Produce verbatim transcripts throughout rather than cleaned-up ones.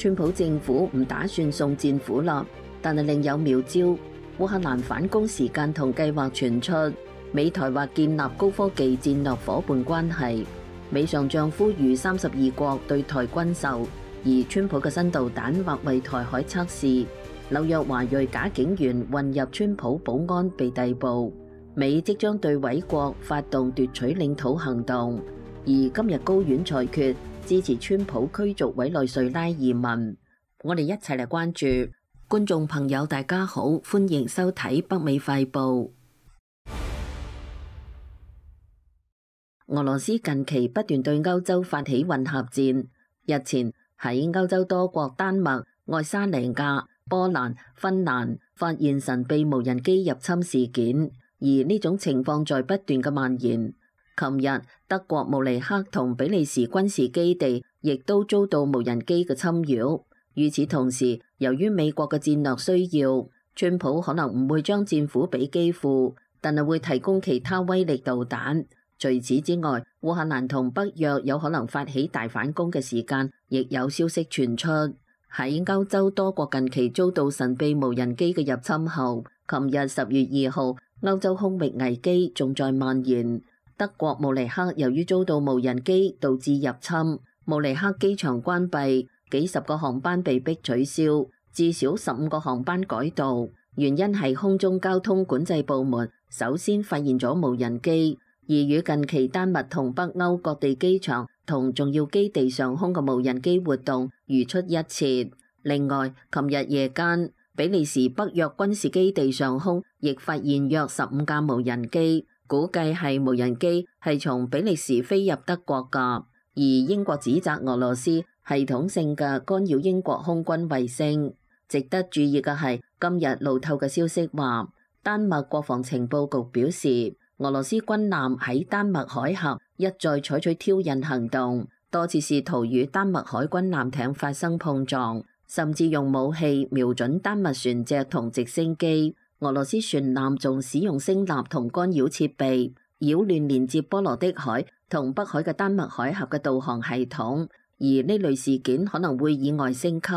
川普政府唔打算送戰斧啦，但係另有妙招。烏克蘭反攻時間同計劃傳出，美台或建立高科技戰略夥伴關係。美上將呼籲三十二國對台軍售，而川普嘅新導彈或為台海測試。紐約華裔假警員混入川普保安被逮捕。美即將對毀國發動奪取領土行動，而今日高院裁決支持川普驅逐委內瑞拉移民。我哋一齊嚟關注。觀眾朋友大家好，歡迎收睇北美快報。俄羅斯近期不斷對歐洲發起混合戰，日前喺歐洲多國丹麥、愛沙尼亞、波蘭、芬蘭發現神秘無人機入侵事件，而呢種情況在不斷嘅蔓延。琴日德國慕尼黑同比利時軍事基地亦都遭到無人機嘅侵擾。與此同時，由於美國嘅戰略需要，川普可能唔會將戰斧俾基輔，但係會提供其他威力導彈。除此之外，烏克蘭同北約有可能發起大反攻嘅時間，亦有消息傳出。喺歐洲多國近期遭到神秘無人機嘅入侵後，琴日十月二號，歐洲空域危機仲在蔓延。德國慕尼黑由於遭到無人機導致入侵，慕尼黑機場關閉。幾十個航班被迫取消，至少十五個航班改道，原因係空中交通管制部門首先發現咗無人機，而與近期丹麥同北歐各地機場同重要基地上空嘅無人機活動如出一轍。另外，琴日夜間，比利時北約軍事基地上空亦發現約十五架無人機，估計係無人機係從比利時飛入德國㗎，而英國指責俄羅斯系統性嘅干擾英國空軍衛星。值得注意嘅係，今日路透嘅消息話，丹麥國防情報局表示，俄羅斯軍艦喺丹麥海峽一再採取挑釁行動，多次試圖與丹麥海軍艦艇發生碰撞，甚至用武器瞄準丹麥船隻同直升機。俄羅斯船艦仲使用聲納同干擾設備，擾亂連接波羅的海同北海嘅丹麥海峽嘅導航系統。而呢類事件可能會意外升級。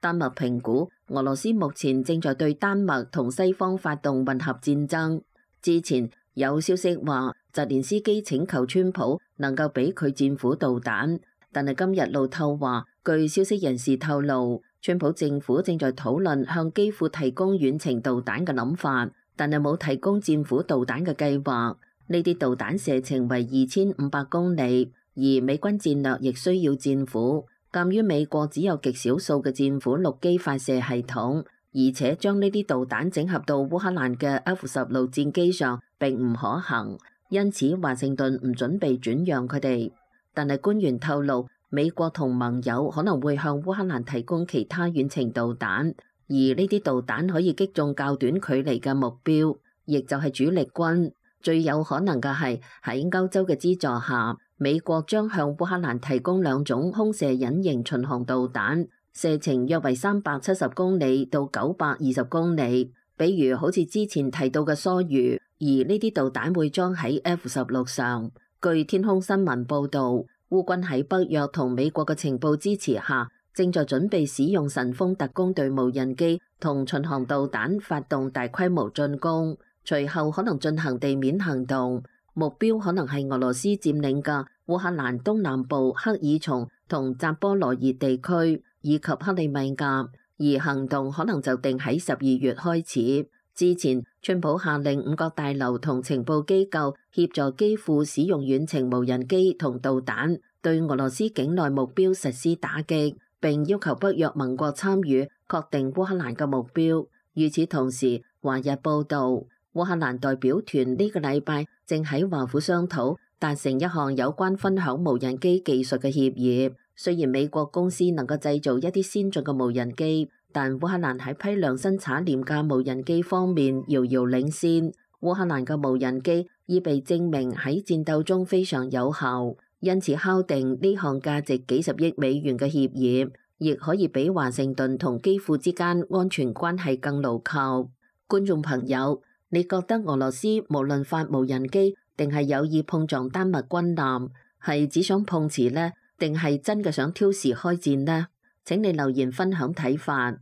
丹麥評估，俄羅斯目前正在對丹麥同西方發動混合戰爭。之前有消息話，澤連斯基請求川普能夠俾佢戰斧導彈，但係今日路透話，據消息人士透露，川普政府正在討論向基輔提供遠程導彈嘅諗法，但係冇提供戰斧導彈嘅計劃。呢啲導彈射程為二千五百公里。而美軍戰略亦需要戰斧，鑑於美國只有極少數嘅戰斧陸基發射系統，而且將呢啲導彈整合到烏克蘭嘅 F 十六戰機上並唔可行，因此華盛頓唔準備轉讓佢哋。但係官員透露，美國同盟友可能會向烏克蘭提供其他遠程導彈，而呢啲導彈可以擊中較短距離嘅目標，亦就係主力軍。最有可能嘅係喺歐洲嘅資助下，美國將向烏克蘭提供兩種空射隱形巡航導彈，射程約為三百七十公里到九百二十公里。比如好似之前提到嘅梭魚，而呢啲導彈會裝喺 F 十六上。據天空新聞報導，烏軍喺北約同美國嘅情報支持下，正在準備使用神風特攻隊無人機同巡航導彈發動大規模進攻，隨後可能進行地面行動。目標可能係俄羅斯佔領嘅烏克蘭東南部克爾松同扎波羅熱地區，以及克里米亞，而行動可能就定喺十二月開始。之前，川普下令五角大樓同情報機構協助基輔使用遠程無人機同導彈，對俄羅斯境內目標實施打擊，並要求北約盟國參與確定烏克蘭嘅目標。與此同時，華日報導，烏克蘭代表團呢個禮拜正喺華府商討達成一項有關分享無人機技術嘅協議。雖然美國公司能夠製造一啲先進嘅無人機，但烏克蘭喺批量生產廉價無人機方面遙遙領先。烏克蘭嘅無人機已被證明喺戰鬥中非常有效，因此敲定呢項價值幾十億美元嘅協議，亦可以比華盛頓同基輔之間安全關係更牢靠。觀眾朋友，你覺得俄羅斯無論發無人機定係有意碰撞丹麥軍艦，係只想碰瓷呢？定係真嘅想挑事開戰呢？請你留言分享睇法。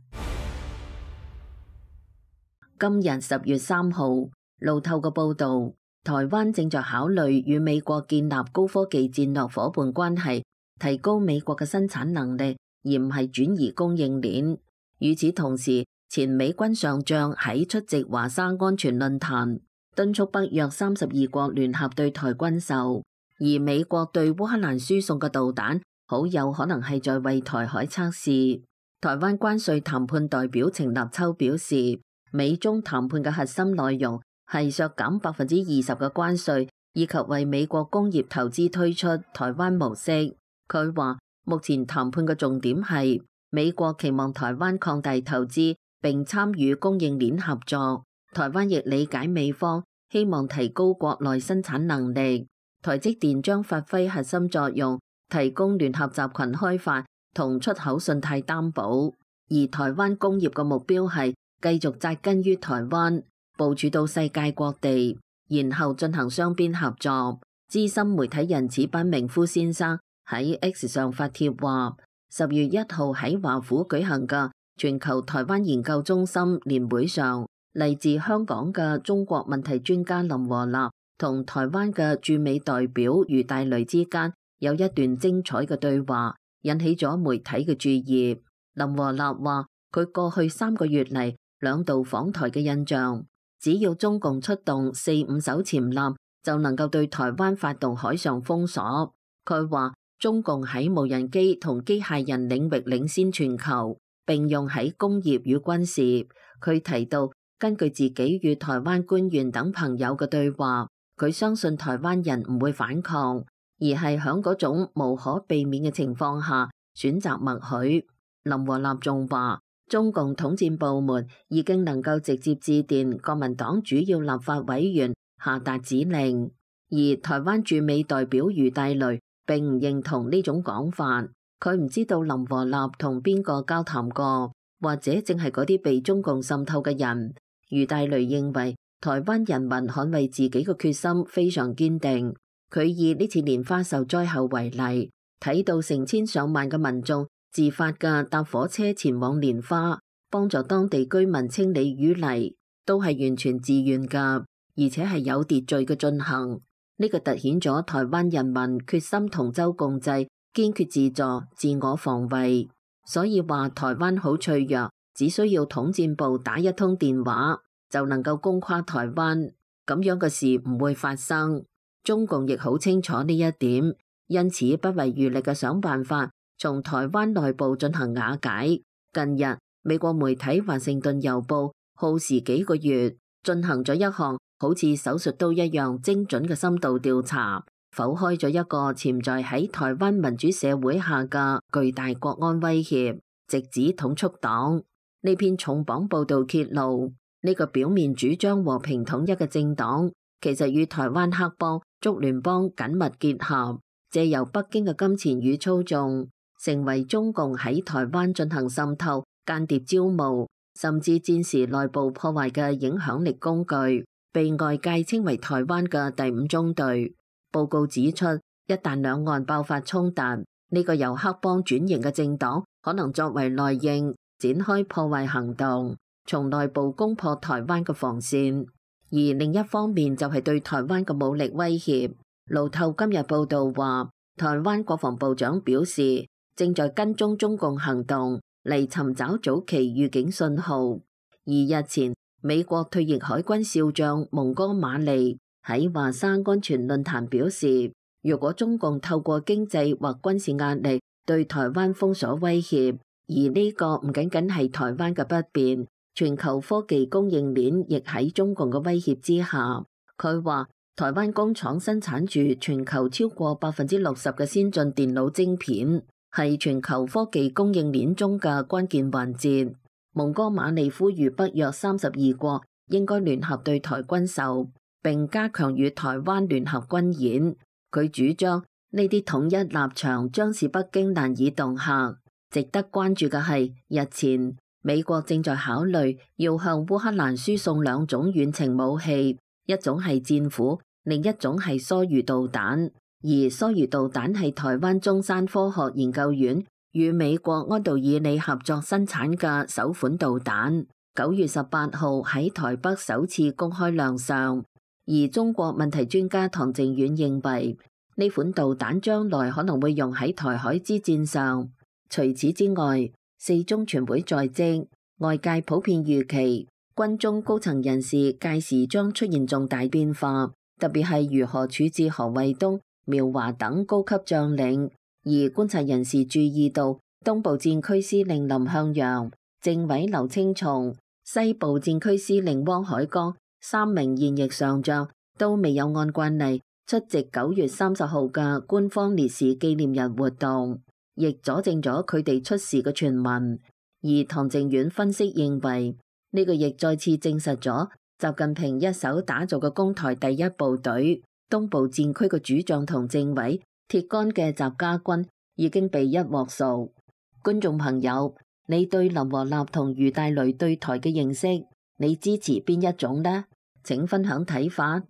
今日十月三號，路透嘅報導，台灣正在考慮與美國建立高科技戰略夥伴關係，提高美國嘅生產能力，而唔係轉移供應鏈。與此同時，前美軍上將喺出席華沙安全論壇，敦促北約三十二國聯合對台軍售，而美國對烏克蘭輸送嘅導彈，好有可能係在為台海測試。台灣關稅談判代表程立秋表示，美中談判嘅核心內容係削減百分之二十嘅關稅，以及為美國工業投資推出台灣模式。佢話目前談判嘅重點係美國期望台灣擴大投資並參與供應鏈合作，台灣亦理解美方希望提高國內生產能力。台積電將發揮核心作用，提供聯合集群開發同出口信貸擔保，而台灣工業嘅目標係繼續紮根於台灣，部署到世界各地，然後進行雙邊合作。資深媒體人矢板明夫先生喺 X 上發帖話，十月一號喺華府舉行嘅全球台灣研究中心年會上，嚟自香港嘅中國問題專家林和立同台灣嘅駐美代表余大雷之間有一段精彩嘅對話，引起咗媒體嘅注意。林和立話，佢過去三個月嚟兩度訪台嘅印象，只要中共出動四五艘潛艦，就能夠對台灣發動海上封鎖。佢話中共喺無人機同機械人領域領先全球，並用喺工業與軍事。佢提到，根據自己與台灣官員等朋友嘅對話，佢相信台灣人唔會反抗，而係喺嗰種無可避免嘅情況下選擇默許。林和立仲話，中共統戰部門已經能夠直接致電國民黨主要立法委員下達指令，而台灣駐美代表余大雷並唔認同呢種講法。佢唔知道林和立同邊個交談過，或者正係嗰啲被中共滲透嘅人。余大雷認為台灣人民捍衛自己嘅決心非常堅定。佢以呢次蓮花受災後為例，睇到成千上萬嘅民眾自發嘅搭火車前往蓮花，幫助當地居民清理淤泥，都係完全自願㗎，而且係有秩序嘅進行。呢個凸顯咗台灣人民決心同舟共濟，堅決自助、自我防衛。所以話台灣好脆弱，只需要統戰部打一通電話就能夠攻垮台灣，咁樣嘅事唔會發生。中共亦好清楚呢一點，因此不遺餘力嘅想辦法從台灣內部進行瓦解。近日，美國媒體華盛頓郵報耗時幾個月進行咗一項好似手術刀一樣精準嘅深度調查，剖開咗一個潛在喺台灣民主社會下嘅巨大國安威脅，直指統促黨。呢篇重磅報導揭露，呢個表面主張和平統一嘅政黨，其實與台灣黑幫、竹聯幫緊密結合，借由北京嘅金錢與操縱，成為中共喺台灣進行滲透、間諜招募，甚至戰時內部破壞嘅影響力工具，被外界稱為台灣嘅第五中隊。報告指出，一旦兩岸爆發衝突，呢、這個由黑幫轉型嘅政黨可能作為內應，展開破壞行動，從內部攻破台灣嘅防線。而另一方面就係對台灣嘅武力威脅。路透今日報道話，台灣國防部長表示，正在跟蹤中共行動嚟尋找早期預警信號。而日前，美國退役海軍少將蒙哥馬利喺華沙安全論壇表示，如果中共透過經濟或軍事壓力對台灣封鎖威脅，而呢個唔僅僅係台灣嘅不便，全球科技供應鏈亦喺中共嘅威脅之下。佢話台灣工廠生產住全球超過百分之六十嘅先進電腦晶片，係全球科技供應鏈中嘅關鍵環節。蒙哥馬利呼籲北約三十二國應該聯合對台軍售，並加強與台灣聯合軍演。佢主張呢啲統一立場將使北京難以恫嚇。值得關注嘅係，日前美國正在考慮要向烏克蘭輸送兩種遠程武器，一種係戰斧，另一種係梭魚導彈。而梭魚導彈係台灣中山科學研究院與美國安道爾利合作生產嘅首款導彈，九月十八號喺台北首次公開亮相。而中國問題專家唐靖遠認為，呢款導彈將來可能會用喺台海之戰上。除此之外，四中全會在即，外界普遍預期軍中高層人士屆時將出現重大變化，特別係如何處置何衛東、苗華等高級將領。而觀察人士注意到，東部戰區司令林向陽、政委劉青松、西部戰區司令汪海剛三名現役上將都未有按慣例出席九月三十號嘅官方烈士紀念日活動，亦佐證咗佢哋出事嘅傳聞。而唐靖遠分析認為，呢個亦再次證實咗習近平一手打造嘅攻台第一部隊東部戰區嘅主將同政委鐵桿嘅習家軍已經被一鑊熟。觀眾朋友，你對林和立同余大雷對台嘅認識，你支持邊一種呢？請分享睇法。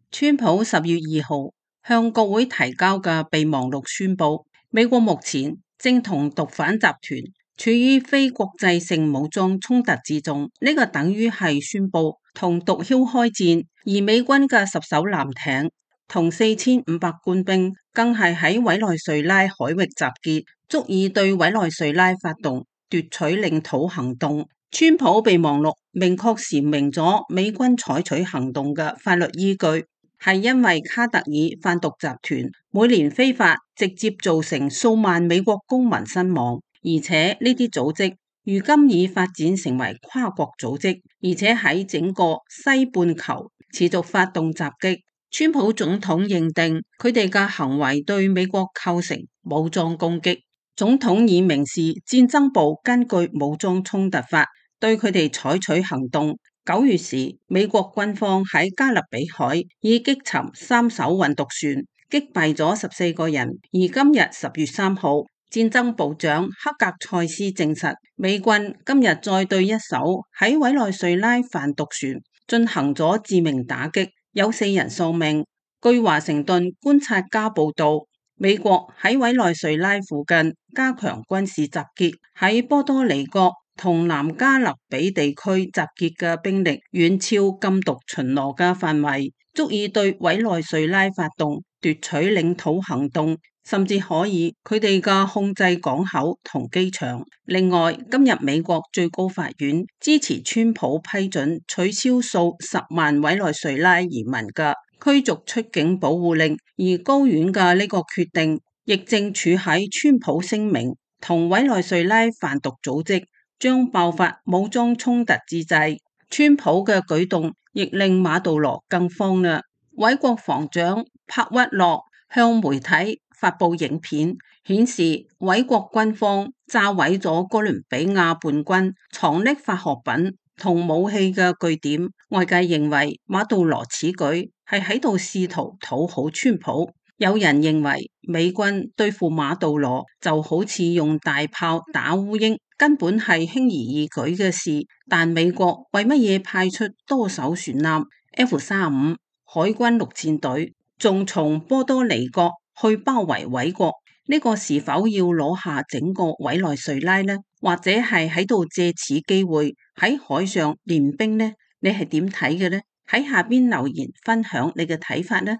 川普十月二號向國會提交嘅備忘錄宣布，美國目前正同毒販集團處於非國際性武裝衝突之中，呢、這個等於係宣布同毒梟開戰，而美軍嘅十艘艦艇同四千五百官兵更係喺委內瑞拉海域集結，足以對委內瑞拉發動奪取領土行動。川普備忘錄明確闡明咗美軍採取行動嘅法律依據，係因為卡特爾販毒集團每年非法直接造成數萬美國公民身亡，而且呢啲組織如今已發展成為跨國組織，而且喺整個西半球持續發動襲擊。川普總統認定佢哋嘅行為對美國構成武裝攻擊，總統已明示戰爭部根據武裝衝突法對佢哋採取行動。九月時，美國軍方喺加勒比海已擊沉三艘運毒船，擊斃咗十四個人。而今日十月三號，戰爭部長克格塞斯證實，美軍今日再對一艘喺委內瑞拉販毒船進行咗致命打擊，有四人喪命。據華盛頓觀察家報道，美國喺委內瑞拉附近加強軍事集結，喺波多黎各同南加勒比地區集結嘅兵力遠超禁毒巡邏嘅範圍，足以對委內瑞拉發動奪取領土行動，甚至可以佢哋嘅控制港口同機場。另外，今日美國最高法院支持川普批准取消數十萬委內瑞拉移民嘅驅逐出境保護令，而高院嘅呢個決定亦正處喺川普聲明同委內瑞拉販毒組織將爆發武裝衝突之際。川普嘅舉動亦令馬杜羅更慌啦。委國防長帕屈洛向媒體發布影片，顯示委國軍方炸毀咗哥倫比亞叛軍藏匿化學品同武器嘅據點。外界認為馬杜羅此舉係喺度試圖討好川普。有人認為美軍對付馬杜羅就好似用大炮打烏蠅，根本係輕而易舉嘅事。但美國為乜嘢派出多艘船艦 F 三十五 海軍陸戰隊，仲從波多黎各去包圍委國？呢、這個是否要攞下整個委內瑞拉呢？或者係喺度借此機會喺海上練兵呢？你係點睇嘅呢？喺下邊留言分享你嘅睇法呢？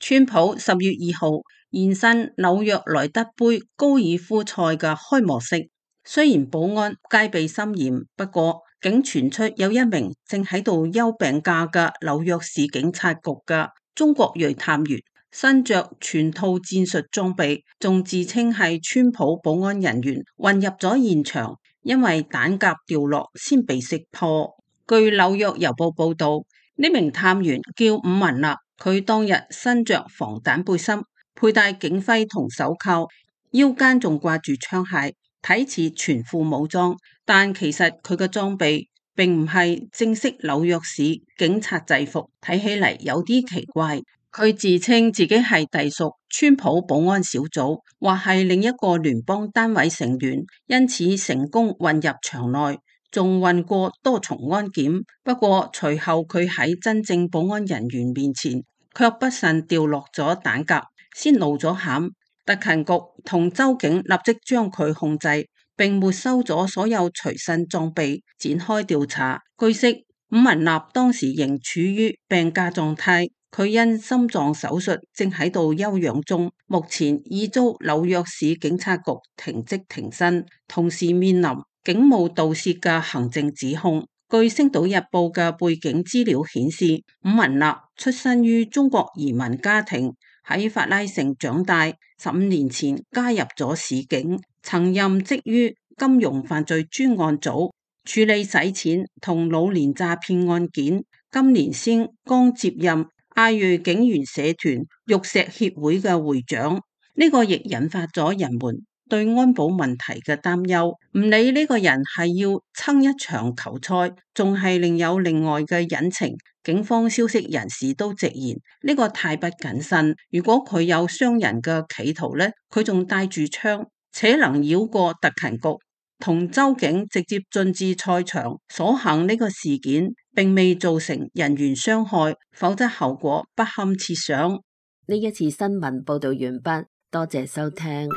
川普十月二號現身紐約萊德杯高爾夫賽嘅開幕式，雖然保安戒備森嚴，不過竟傳出有一名正喺度休病假嘅紐約市警察局嘅中國裔探員，身着全套戰術裝備，仲自稱係川普保安人員，混入咗現場，因為彈夾掉落先被識破。據紐約郵報報道，呢名探員叫伍文立。佢當日身着防彈背心，佩戴警徽同手銬，腰間仲掛住槍械，睇似全副武裝，但其實佢嘅裝備並唔係正式紐約市警察制服，睇起嚟有啲奇怪。佢自稱自己係隸屬川普保安小組，或係另一個聯邦單位成員，因此成功混入場內，仲混過多重安檢。不過隨後佢喺真正保安人員面前，卻不慎掉落咗彈夾，先露咗餡。特勤局同州警立即將佢控制，並沒收咗所有隨身裝備，展開調查。據悉，伍文納當時仍處於病假狀態，佢因心臟手術正喺度休養中，目前已遭紐約市警察局停職停薪，同時面臨警務盜竊嘅行政指控。據《星島日報》嘅背景資料顯示，伍文納出身於中國移民家庭，喺法拉盛長大，十五年前加入咗市警，曾任職於金融犯罪專案組，處理洗錢同老年詐騙案件。今年先剛接任亞裔警員社團玉石協會嘅會長，呢、這個亦引發咗人們對安保問題嘅擔憂。唔理呢個人係要撐一場球賽，仲係另有另外嘅隱情，警方消息人士都直言呢、這個太不謹慎。如果佢有傷人嘅企圖呢，佢仲帶住槍，且能繞過特勤局同州警直接進至賽場。所幸呢個事件並未造成人員傷害，否則後果不堪設想。呢一次新聞報道完畢，多謝收聽。